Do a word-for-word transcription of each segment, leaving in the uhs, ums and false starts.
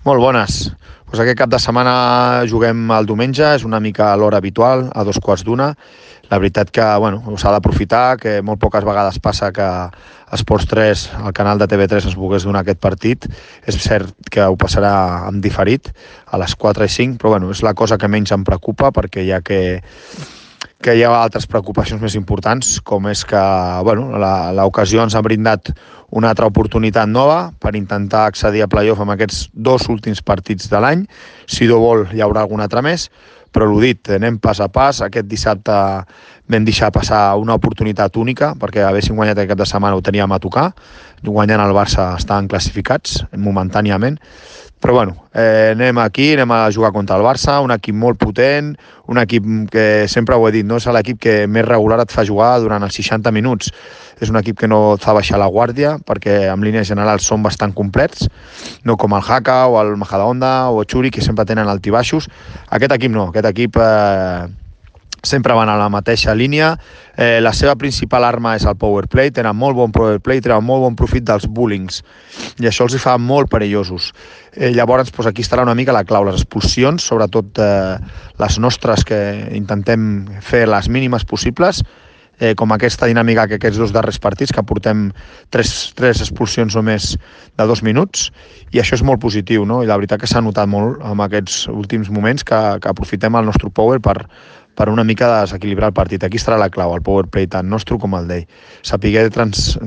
Molt bones. Pues aquest cap de setmana juguem el diumenge, és una mica a l'hora habitual, a dos quarts d'una. La veritat que bueno, s'ha d'aprofitar, que molt poques vegades passa que Esports tres, el canal de T V tres, ens volgués donar aquest partit. És cert que ho passarà en diferit, a les quatre i cinc, però bueno, és la cosa que menys em preocupa, perquè ja que que hi ha altres preocupacions més importants, com és que bueno, l'ocasió ens ha brindat una altra oportunitat nova per intentar accedir a playoff amb aquests dos últims partits de l'any. Si Déu vol, hi haurà algun altre més, però l'ho dit, anem pas a pas. Aquest dissabte vam deixar passar una oportunitat única, perquè haguéssim guanyat aquest cap de setmana ho teníem a tocar. Guanyant el Barça estaven classificats momentàniament. Però bueno, eh, anem aquí, anem a jugar contra el Barça, un equip molt potent, un equip que sempre ho he dit, no és l'equip que més regular et fa jugar durant els seixanta minuts. És un equip que no et fa baixar la guàrdia, perquè en línies generals són bastant complets, no com el Haka o el Majadahonda o el Churi, que sempre tenen altibaixos. Aquest equip no, aquest equip eh, sempre van a la mateixa línia. Eh, la seva principal arma és el power play, tenen molt bon power play, tenen molt bon profit dels bullings, i això els fa molt perillosos. Eh, llavors, doncs, aquí estarà una mica la clau, les expulsions, sobretot eh, les nostres, que intentem fer les mínimes possibles, eh, com aquesta dinàmica que aquests dos darrers partits, que portem tres, tres expulsions només de dos minuts, i això és molt positiu, no? I la veritat que s'ha notat molt en aquests últims moments que, que aprofitem el nostre power per, per una mica desequilibrar el partit. Aquí estarà la clau, el power play tant nostre com el d'ell. Sapiguer, trans,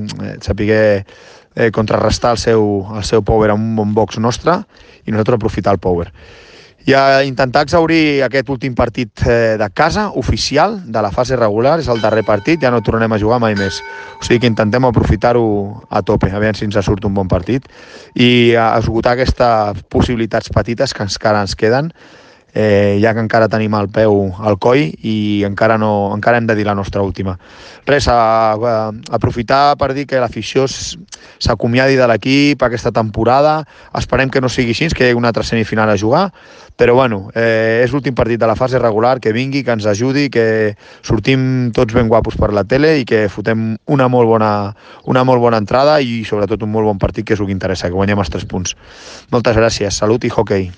sapiguer eh, contrarrestar el seu, el seu power amb un bon box nostre i nosaltres aprofitar el power. I a intentar exaurir aquest últim partit eh, de casa, oficial, de la fase regular, és el darrer partit, ja no tornarem a jugar mai més. O sigui que intentem aprofitar-ho a tope, a veure si ens surt un bon partit, i a esgotar aquestes possibilitats petites que encara ens queden, eh, ja que encara tenim el peu al coll i encara, no, encara hem de dir la nostra última. Res, a, a, aprofitar per dir que l'afició s'acomiadi de l'equip aquesta temporada. Esperem que no sigui així, que hi hagi una altra semifinal a jugar, però bueno, eh, és l'últim partit de la fase regular, que vingui, que ens ajudi, que sortim tots ben guapos per la tele i que fotem una molt bona, una molt bona entrada i sobretot un molt bon partit, que és el que interessa, que guanyem els tres punts. Moltes gràcies, salut i hockey.